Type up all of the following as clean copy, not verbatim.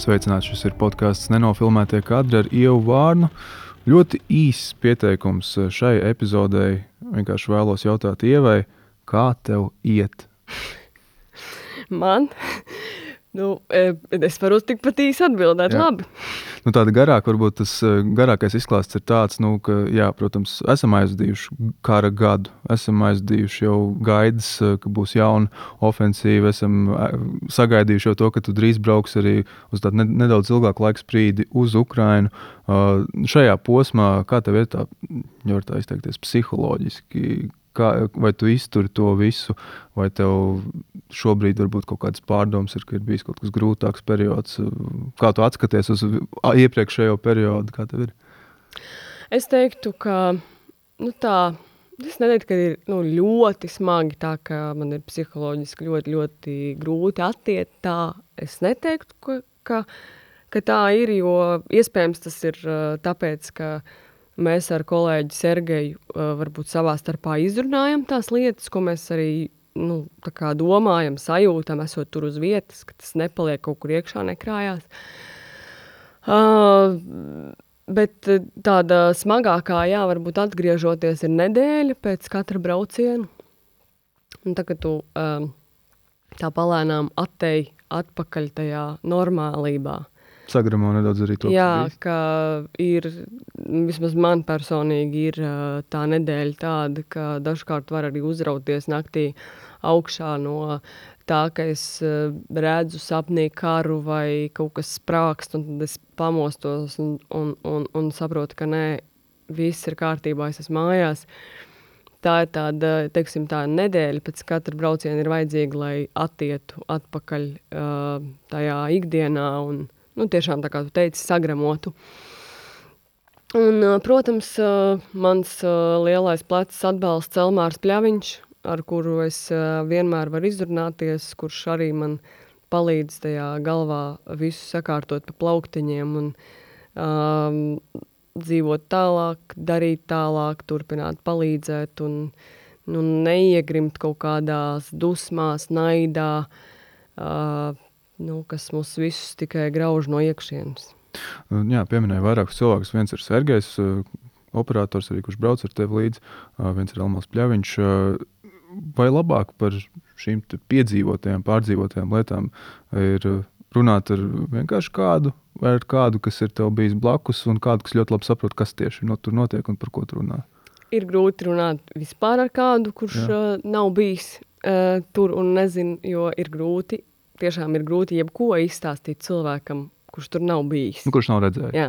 Sveicināts, šis ir podcasts Nenofilmētie kadri ar Ievu Vārnu. Ļoti īss pieteikums šai epizodei. Vienkārši vēlos jautāt Ievai, kā tev iet? Man? Es varu tikpat īsi atbildēt, Jā. labi. Tāda garāka, varbūt tas garākais izklāsts ir tāds, ka, jā, protams, esam aizdījuši kara gadu, esam aizdījuši jau gaidas, ka būs jauna ofensīva, esam sagaidījuši jau to, ka tu drīz brauks arī uz tādu nedaudz ilgāku laiku sprīdi uz Ukrainu. Šajā posmā, kā tev ir tā, var tā izteikties, psiholoģiski? Vai tu izturi to visu, vai tev šobrīd varbūt kaut kādas pārdomas ir, ka ir bijis kaut kas grūtāks periods? Kā tu atskaties uz iepriekšējo periodu? Kā tev ir? Es teiktu, ka es neteiktu, ka ir ļoti smagi tā, ka man ir psiholoģiski ļoti, ļoti grūti attiet tā. Es neteiktu, ka tā ir, jo iespējams tas ir tāpēc, ka mēs ar kolēģi Sergeju varbūt savā starpā izrunājam tās lietas, ko mēs arī tā kā domājam, sajūtam, esot tur uz vietas, ka tas nepaliek kaut kur iekšā, nekrājās. Bet tāda smagākā, varbūt atgriežoties, ir nedēļa pēc katra brauciena. Un tā, ka tu tā palēnām attei atpakaļ tajā normālībā. Sagramo nedaudz arī to. Jā, ka ir, vismaz man personīgi ir tā nedēļa tāda, ka dažkārt var arī uzrauties naktī augšā no tā, ka es redzu sapnī karu vai kaut kas sprākst, un tad es pamostos un saprotu, ka nē, viss ir kārtībā, es esmu mājās. Tā ir tāda, teiksim, tā nedēļa pēc katra brauciena ir vajadzīga, lai attietu atpakaļ tajā ikdienā un tiešām, tā kā tu teici, sagramotu. Un, protams, mans lielais plecs atbalsts Elmārs Pļaviņš, ar kuru es vienmēr varu izrunāties, kurš arī man palīdz tajā galvā visu sakārtot pa plauktiņiem un dzīvot tālāk, darīt tālāk, turpināt palīdzēt un neiegrimt kaut kādās dusmās, naidā, kas mūs visus tikai grauž no iekšienes. Jā, pieminēju vairākus cilvēkus. Viens ir Sergejs, operators arī, kurš brauc ar tevi līdzi. Viens ir Elmārs Pļaviņš. Vai labāk par šīm piedzīvotajām, pārdzīvotajām lietām ir runāt ar vienkārši kādu, vai ar kādu, kas ir tev bijis blakus, un kādu, kas ļoti labi saprot, kas tieši tur notiek un par ko tu runā? Ir grūti runāt vispār ar kādu, kurš nav bijis tur un nezin, jo ir grūti. Tiešām ir grūti jebko izstāstīt cilvēkam, kurš tur nav bijis. Kurš nav redzējis. Jā.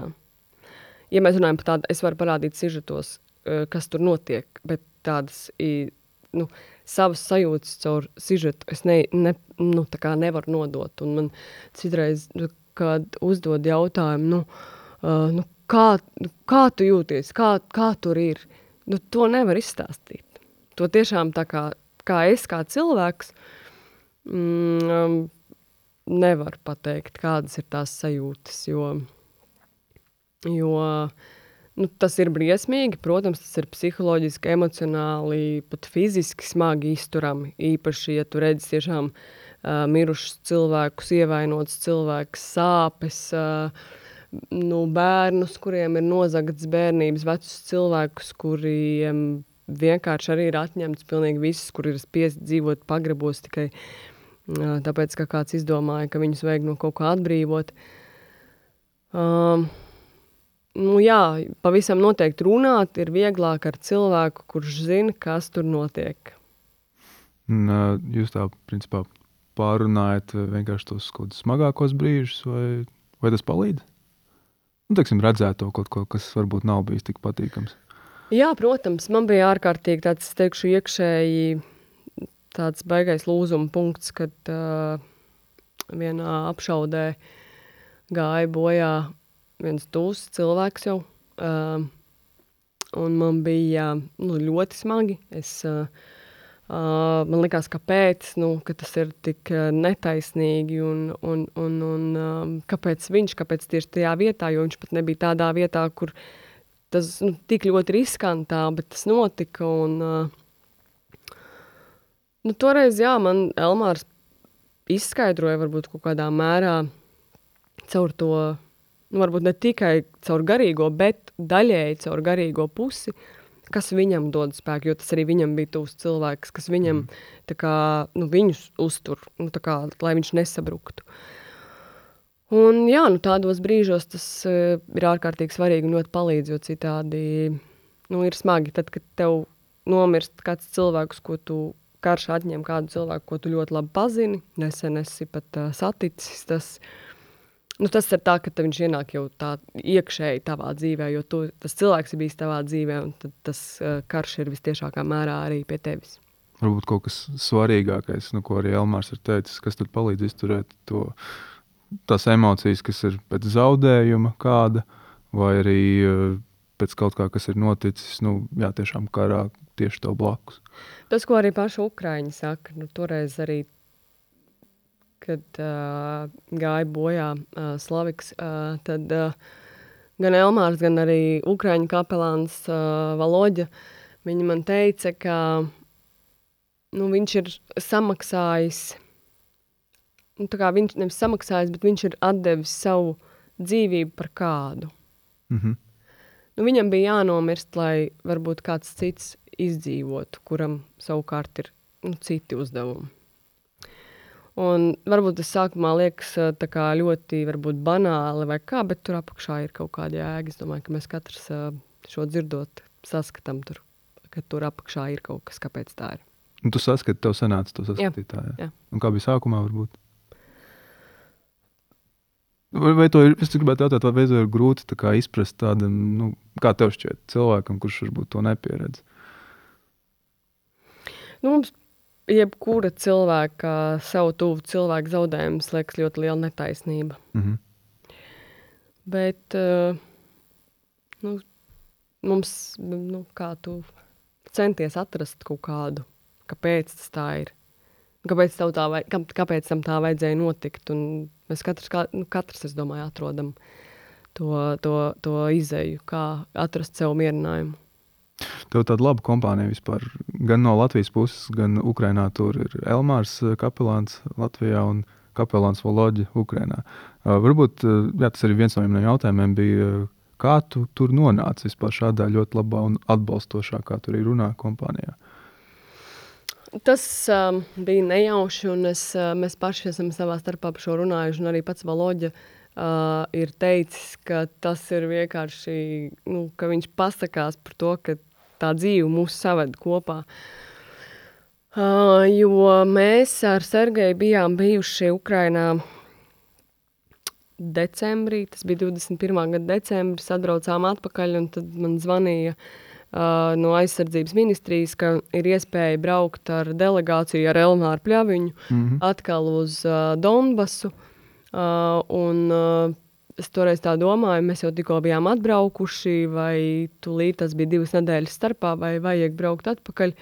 Ja mēs runājam par tādu, es varu parādīt sižetos, kas tur notiek, bet tādas, savas sajūtas caur sižetu es tā kā nevaru nodot. Un man citreiz, kad uzdod jautājumu, kā tu jūties, kā tur ir, to nevar izstāstīt. To tiešām tā kā es kā cilvēks, nevar pateikt, kādas ir tās sajūtas, jo tas ir briesmīgi, protams, tas ir psiholoģiski, emocionāli, pat fiziski smagi izturami, īpaši, ja tu redzi tiešām mirušus cilvēkus, ievainotus cilvēkus, sāpes, bērnus, kuriem ir nozagts bērnības, vecus cilvēkus, kuriem vienkārši arī ir atņemts pilnīgi viss, kur ir spiest dzīvot pagrabos tikai tāpēc, ka kāds izdomāja, ka viņus vajag no kaut kā atbrīvot. Pavisam noteikti runāt ir vieglāk ar cilvēku, kurš zina, kas tur notiek. Jūs tā, principā, pārunājat vienkārši tos kaut kādus smagākos brīžus, vai tas palīdz? Teiksim, redzēt to kaut ko, kas varbūt nav bijis tik patīkams. Jā, protams, man bija ārkārtīgi tāds, teikšu, iekšēji tāds baigais lūzuma punkts, kad vienā apšaudē gāja bojā viens tūs cilvēks jau. Un man bija ļoti smagi. Man likās, kāpēc, ka tas ir tik netaisnīgi un kāpēc tieši tajā vietā, jo viņš pat nebija tādā vietā, kur tas tik ļoti riskantā, bet tas notika un toreiz, man Elmārs izskaidroja varbūt kaut kādā mērā, caur to, varbūt ne tikai caur garīgo, bet daļēji caur garīgo pusi, kas viņam dod spēku, jo tas arī viņam bija tuvs cilvēks, kas viņam tā kā, viņus uztur, tā kā, lai viņš nesabruktu. Un jā, tādos brīžos tas ir ārkārtīgi svarīgi un ļoti palīdz, jo citādi, ir smagi, tad, kad tev nomirst kāds cilvēks, ko tu karš atņem kādu cilvēku, ko tu ļoti labi pazini, nesen esi pat saticis, tas ir tā, ka viņš ienāk jau tā iekšēji tavā dzīvē, jo tas cilvēks ir bijis tavā dzīvē, un tad tas karš ir vistiešākā mērā arī pie tevis. Varbūt kaut kas svarīgākais, ko arī Elmārs ir teicis, kas tad palīdz izturēt tās emocijas, kas ir pēc zaudējuma kāda, vai arī pēc kaut kā, kas ir noticis, tiešām karā tieši tev blakus. Tas, ko arī paši Ukraiņi saka, toreiz arī, kad gāja bojā Slaviks, tad gan Elmārs, gan arī Ukraiņu kapelāns Valoģa, viņi man teica, ka viņš ir samaksājis, tā kā viņš nevis samaksājis, bet viņš ir atdevis savu dzīvību par kādu. Viņam bija jānomirst, lai varbūt kāds cits izdzīvotu, kuram savukārt ir citi uzdevumi. Un varbūt tas sākumā liekas tā kā ļoti varbūt banāli vai kā, bet tur apakšā ir kaut kāda jēga. Es domāju, ka mēs katrs šo dzirdot saskatām tur, ka tur apakšā ir kaut kas, kāpēc tā ir. Un tu saskati, tev sanāca to saskatīt tā, jā? Un kā bija sākumā varbūt? Vai to ir, es gribētu jautāt, vai to ir grūti tā kā izprast tādam, kā tev šķiet cilvēkam, kurš varbūt to nepieredz? Mums jebkura cilvēka, savu tuvu cilvēku zaudējums liekas ļoti liela netaisnība. Bet mums, kā tu centies atrast kaut kādu, kāpēc tas tā ir, kāpēc tam tā vajadzēja notikt, un mēs katrs, es domāju, atrodam to izeju, kā atrast sev mierinājumu. Tev tāda laba kompānija vispār, gan no Latvijas puses, gan Ukrainā tur ir Elmārs kapelāns Latvijā un kapelāns Voloģa Ukrainā. Varbūt, tas arī viens no jautājumiem bija, kā tu tur nonāci vispār šādā ļoti labā un atbalstošā, kā tur ir runā kompānijā? Tas bija nejauši, un mēs paši esam savā starpā par šo runājuši, un arī pats Voloģa ir teicis, ka tas ir vienkārši, ka viņš pasakās par to, ka tā dzīve mūs saved kopā. Jo mēs ar Sergeju bijām bijuši Ukrainā decembrī, tas bija 21. gada decembris, atbraucām atpakaļ, un tad man zvanīja no aizsardzības ministrijas, ka ir iespēja braukt ar delegāciju ar Elmāru Pļaviņu atkal uz Donbasu, un es toreiz tā domāju, mēs jau tikko bijām atbraukuši, vai tūlīt tas bija 2 nedēļas starpā, vai vajag braukt atpakaļ.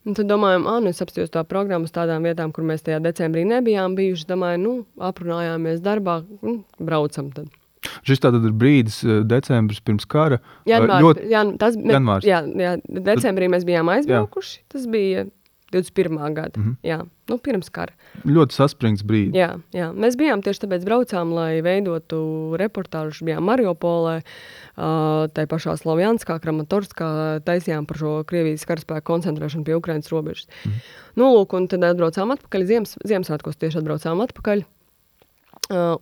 Un tad domājam, es apstījos tā programmu uz tādām vietām, kur mēs tajā decembrī nebijām bijuši. Domāju, aprunājāmies darbā, braucam tad. Šis tātad ir brīdis, decembris pirms kara. Janvārs. Jā, decembrī mēs bijām aizbraukuši, tas bija 21. gada, jā, pirms kara. Ļoti saspringts brīdis. Jā, mēs bijām tieši tāpēc braucām, lai veidotu reportāžu, bijām Mariupolē, tai pašā Slavjanskā, Kramatorskā, taisījām par šo Krievijas karaspēku koncentrēšanu pie Ukrainas robežas. Lūk, un tad atbraucām atpakaļ, Ziemassvētkos tieši atbraucām atpakaļ,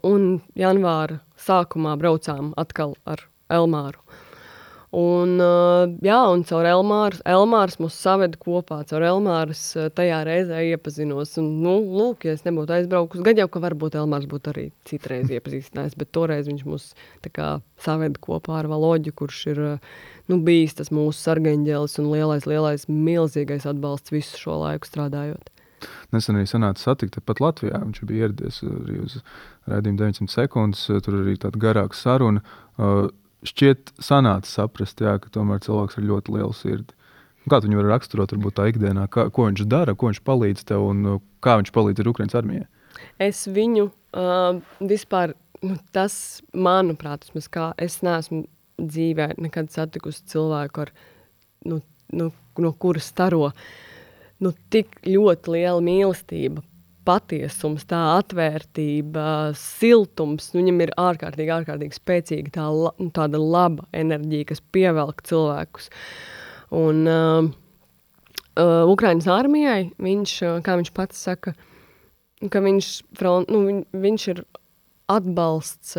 un janvāra sākumā braucām atkal ar Elmāru. Un caur Elmārs mūs saved kopā, caur Elmārs tajā reizē iepazinos. Un, lūk, ja es nebūtu aizbraukus, gan jau, ka varbūt Elmārs būtu arī citreiz iepazīstinājis, bet toreiz viņš mūs tā kā saved kopā ar Valoģu, kurš ir bijis tas mūsu sargeņģelis un lielais, milzīgais atbalsts visu šo laiku strādājot. Nesen arī sanāca satikt pat Latvijā, viņš bija ieradies arī uz raidījumu 900 sekundes, tur arī tāda garāka saruna. Šķiet sanāca saprast, ka tomēr cilvēks ir ļoti liela sirdi. Kā tu viņu var raksturot varbūt tā ikdienā? Ko viņš dara, ko viņš palīdz tev un kā viņš palīdz ar Ukrainas armijai? Es viņu vispār, tas manuprāt, es neesmu dzīvē nekad satikusi cilvēku ar, no kuras staro tik ļoti liela mīlestība patiesums, tā atvērtība, siltums, viņam ir ārkārtīgi spēcīga tāda laba enerģija, kas pievelk cilvēkus. Un Ukrainas armijai viņš, kā viņš pats saka, ka viņš ir atbalsts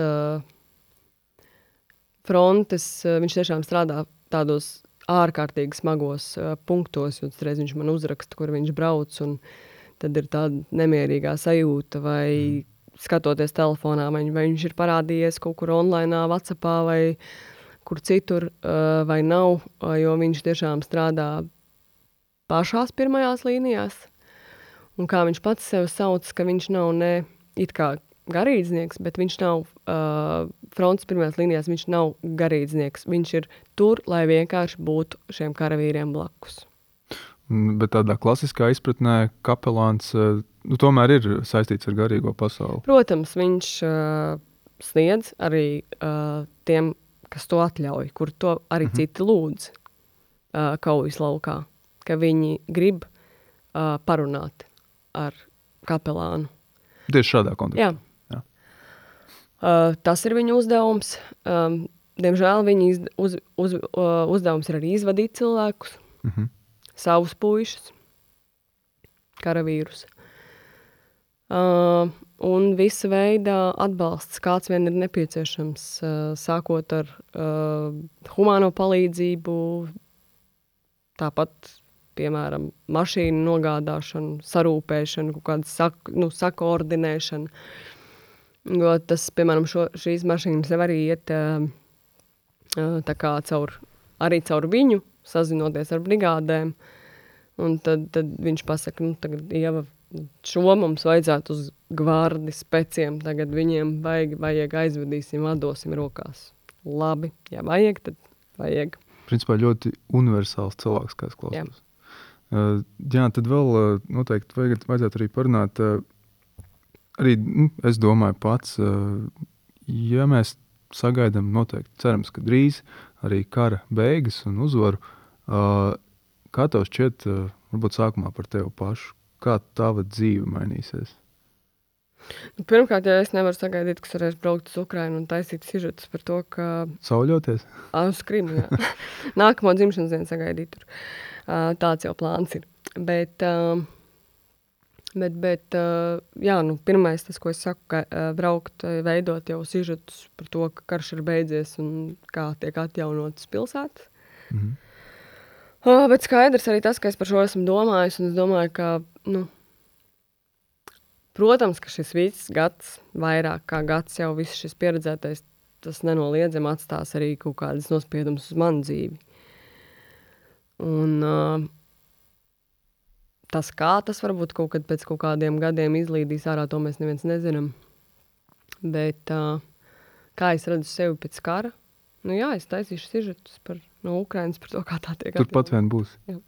frontes, viņš tiešām strādā tādos ārkārtīgi smagos punktos, un reiz viņš man uzraksta, kur viņš brauc, un tad ir tāda nemierīgā sajūta, vai skatoties telefonā, vai viņš ir parādījies kaut kur online, WhatsAppā, vai kur citur, vai nav, jo viņš tiešām strādā pašās pirmajās līnijās. Un kā viņš pats sev sauc, ka viņš nav ne it kā garīdznieks, bet viņš nav frontes pirmajās līnijās, viņš nav garīdznieks. Viņš ir tur, lai vienkārši būtu šiem karavīriem blakus. Bet tādā klasiskā izpratnē kapelāns tomēr ir saistīts ar garīgo pasauli. Protams, viņš sniedz arī tiem, kas to atļauj, kur to arī citi lūdz kaujas laukā, ka viņi grib parunāt ar kapelānu. Tieši šādā kontekstā. Jā. Tas ir viņa uzdevums. Diemžēl viņa uzdevums ir arī izvadīt cilvēkus, savus puišus, karavīrus. Un visa veida atbalsts, kāds vien ir nepieciešams, sākot ar humāno palīdzību, tāpat, piemēram, mašīnu nogādāšanu, sarūpēšanu, kaut kādu sakoordinēšanu. Jo tas, piemēram, šīs mašīnas jau arī iet tā kā arī caur viņu, sazinoties ar brigādēm. Un tad viņš pasaka, tagad Ieva, šo mums vajadzētu uz gvardi speciem, tagad viņiem vajag aizvedīsim, atdosim rokās. Labi, ja vajag, tad vajag. Principā ļoti universāls cilvēks, kā es klausos. Jā, tad vēl noteikti vajadzētu arī parunāt, arī, es domāju pats, ja mēs sagaidām noteikti, cerams, ka drīz arī kara beigas un uzvaru, kā tev šķiet, varbūt sākumā par tevi pašu, kā tava dzīve mainīsies? Pirmkārt, ja es nevaru sagaidīt, ka varēšu braukt uz Ukrainu un taisīt sižetus par to, ka... Sauļoties? Uz Krimu, jā. Nākamo dzimšanas dienu sagaidīt tur. Tāds jau plāns ir. Bet jā, pirmais tas, ko es saku, ka braukt, veidot jau sižetus par to, ka karš ir beidzies un kā tiek atjaunotas pilsētas. Bet skaidrs arī tas, ka es par šo esmu domājis, un es domāju, ka, protams, ka šis viss gads, vairāk kā gads jau viss šis pieredzētais, tas nenoliedzami atstās arī kaut kādas nospiedumus uz manu dzīvi. Un tas varbūt kaut kad pēc kaut kādiem gadiem izlīdīs ārā, to mēs neviens nezinām. Bet kā es redzu sevi pēc kara? Jā, es taisīšu sižetus no Ukrainas par to, kā tā tiek atjaunotas. Turpat vien būs. Jā.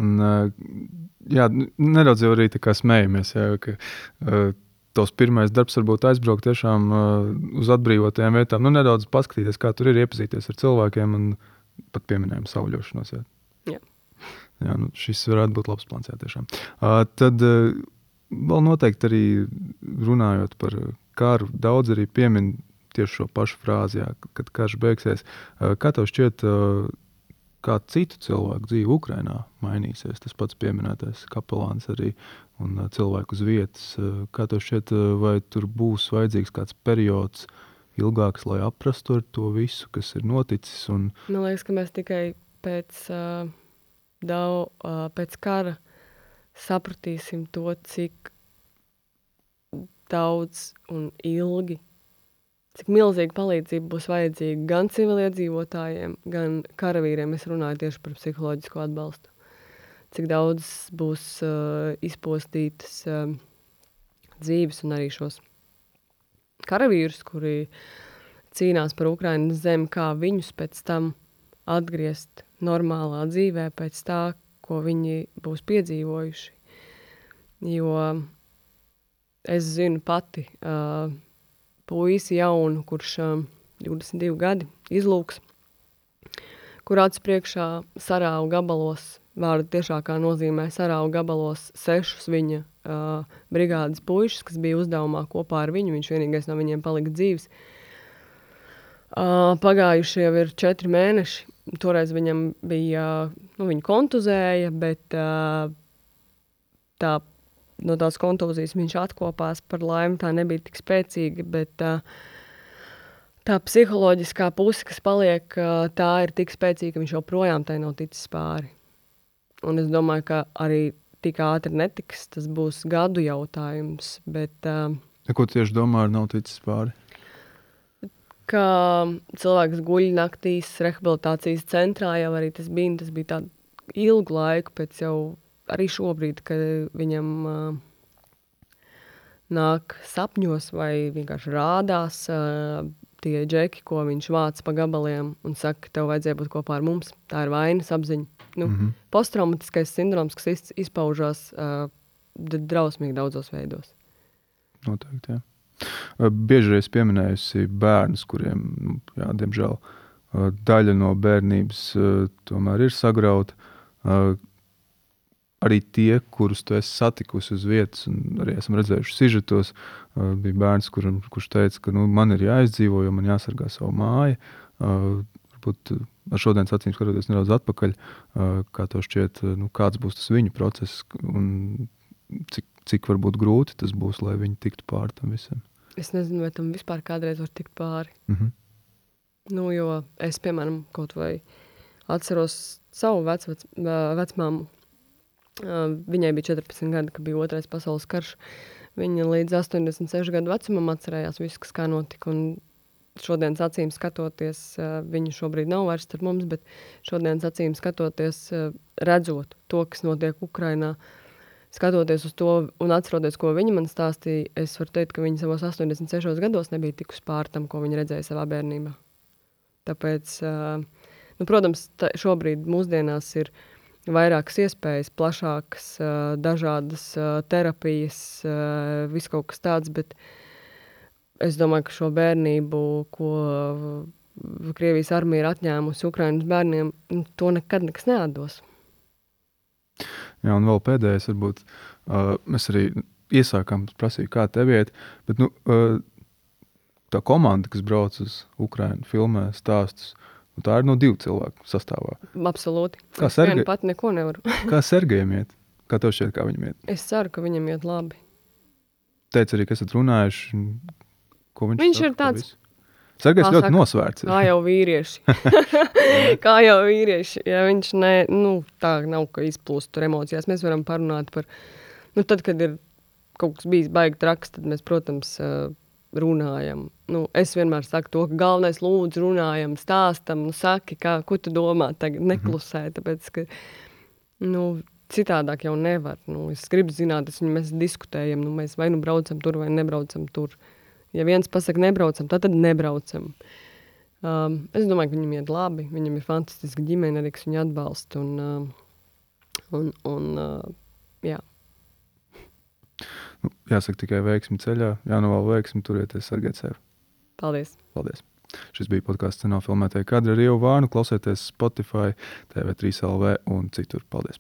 Un, nedaudz jau arī tā kā smējamies, ka tos pirmais darbs varbūt aizbraukt tiešām uz atbrīvotajām vietām, nedaudz paskatīties, kā tur ir, iepazīties ar cilvēkiem un pat pieminējumu sauļošanos. Jā. Jā, šis varētu būt labs plāns, jā, tiešām. Tad vēl noteikti arī runājot par karu, daudz arī piemin tieši šo pašu frāzi, jā, kad karš beigsies. Kā tev šķiet, kā citu cilvēku dzīve Ukrainā mainīsies? Tas pats pieminētais kapelāns arī un cilvēku uz vietas. Kā tev šķiet, vai tur būs vajadzīgs kāds periods ilgāks, lai aprastu ar to visu, kas ir noticis? Un... Man liekas, ka mēs tikai pēc kara sapratīsim to, cik daudz un ilgi, cik milzīga palīdzība būs vajadzīga gan civiliedzīvotājiem, gan karavīriem. Es runāju tieši par psiholoģisko atbalstu. Cik daudz būs izpostītas dzīves un arī šos karavīrus, kuri cīnās par Ukrainas zemi, kā viņus pēc tam atgriezt normālā dzīvē pēc tā, ko viņi būs piedzīvojuši. Jo es zinu pati puisi jaunu, kurš 22 gadi izlūks, kur acis priekšā sarāvu gabalos vārda tiešākā nozīmē sarauga gabalos 6 viņa brigādes puišus, kas bija uzdevumā kopā ar viņu. Viņš vienīgais no viņiem palika dzīvs. Pagājuši jau ir 4 mēneši. Toreiz viņam bija, viņu kontuzēja, bet no tās kontūzijas viņš atkopās par laimi, tā nebija tik spēcīga, bet tā psiholoģiskā puse, kas paliek, tā ir tik spēcīga, ka viņš joprojām tai nav ticis pāri. Un es domāju, ka arī tik ātri netiks, tas būs gadu jautājums, bet... Ko tieši domā ar nav ticis pāri? Ka cilvēks guļ naktīs rehabilitācijas centrā, jau arī tas bija tādu ilgu laiku, pēc jau arī šobrīd, kad viņam nāk sapņos vai vienkārši rādās tie džeki, ko viņš vāc pa gabaliem un saka, ka tev vajadzēja būt kopā ar mums. Tā ir vainas apziņa. Posttraumatiskais sindroms, kas izpaužās drausmīgi daudzos veidos. Noteikti, jā. Bieži reiz pieminējusi bērnus, kuriem, diemžēl, daļa no bērnības tomēr ir sagrauta. Arī tie, kurus tu esi satikusi uz vietas, un arī esam redzējuši sižetos, bija bērns, kurš teica, ka man ir jāizdzīvo, jo man jāsargā savu māju. Varbūt ar šodienas acīm skatoties nedaudz atpakaļ, kā tev šķiet, kāds būs tas viņu process un cik varbūt grūti tas būs, lai viņi tiktu pāri tam visam. Es nezinu, vai tam vispār kādreiz var tikt pāri. Jo es, piemēram, kaut vai atceros savu vecmāmu. Viņai bija 14 gadi, kad bija Otrais pasaules karš. Viņa līdz 86 gadu vecumam atcerējās visu, kas kā notika. Un šodienas acīm skatoties, viņa šobrīd nav vairs starp mums, bet šodienas acīm skatoties, redzot to, kas notiek Ukrainā, skatoties uz to un atceroties, ko viņa man stāstīja, es varu teikt, ka viņa savos 86 gados nebija tikus pār tam, ko viņa redzēja savā bērnībā. Tāpēc, protams, šobrīd mūsdienās ir vairākas iespējas, plašākas, dažādas terapijas, viss kaut kas tāds, bet es domāju, ka šo bērnību, ko Krievijas armija ir atņēmusi Ukrainas bērniem, to nekad nekas neatdos. Jā, un vēl pēdējais, varbūt, mēs arī iesākām prasīju, kā tev iet, bet, tā komanda, kas brauc uz Ukrainu, filmē stāstus, tā ir 2 cilvēku sastāvā. Absolūti. Es vienu pat neko nevaru. Kā Sergejam iet? Kā tev šķiet, kā viņam iet? Es ceru, ka viņam iet labi. Teica arī, ka esat runājuši, ko viņš Viņš saka, ir tāds... Sergejs ļoti nosvērts. Kā jau vīrieši. Ja viņš tā nav, ka izplūst tur emocijās. Mēs varam parunāt par... tad, kad ir kaut kas bijis baigi traks, tad mēs, protams, runājam. Es vienmēr saku to, ka galvenais lūdzu runājam, stāstam, saki, ko tu domā tagad, neklusē, tāpēc, ka, citādāk jau nevar. Es gribu zināt, mēs diskutējam, mēs vai braucam tur, vai nebraucam tur. Ja viens pasaka nebraucam, tad nebraucam. Es domāju, ka viņam iet labi, viņam ir fantastiska ģimene arī, kas viņu atbalsta, un jā. Jāsaka tikai veiksmi ceļā, jānovēl veiksmi, turieties, sargāt sevi. Paldies. Paldies. Šis bija podcasts Cinofilmētie kadri ar Ievu Vārnu. Klausieties Spotify, TV3 LV un citur. Paldies.